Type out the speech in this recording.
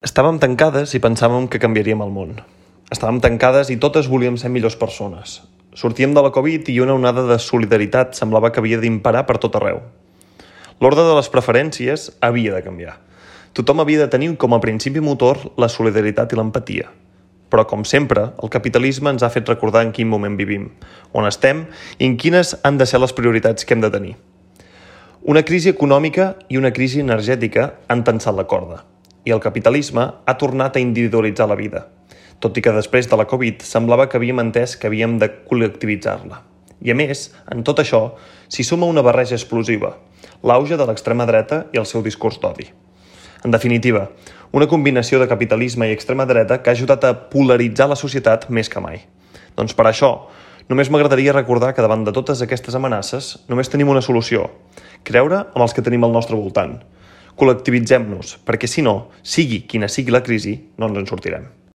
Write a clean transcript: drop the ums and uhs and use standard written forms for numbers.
Estàvem tancades i pensàvem que canviaríem el món. Estàvem tancades i totes volíem ser millors persones. Sortíem de la Covid i una onada de solidaritat semblava que havia d'imperar per tot arreu. L'ordre de les preferències havia de canviar. Tothom havia de tenir com a principi motor la solidaritat i l'empatia. Però, com sempre, el capitalisme ens ha fet recordar en quin moment vivim, on estem i en quines han de ser les prioritats que hem de tenir. Una crisi econòmica i una crisi energètica han tensat la corda. I el capitalisme ha tornat a individualitzar la vida, tot i que després de la Covid semblava que havíem entès que havíem de col·lectivitzar-la. I a més, en tot això, s'hi suma una barreja explosiva, l'auge de l'extrema dreta i el seu discurs d'odi. En definitiva, una combinació de capitalisme i extrema dreta que ha ajudat a polaritzar la societat més que mai. Doncs per això, només m'agradaria recordar que davant de totes aquestes amenaces només tenim una solució: creure en els que tenim al nostre voltant. Col·lectivitzem-nos, perquè si no, sigui quina sigui la crisi, no ens en sortirem.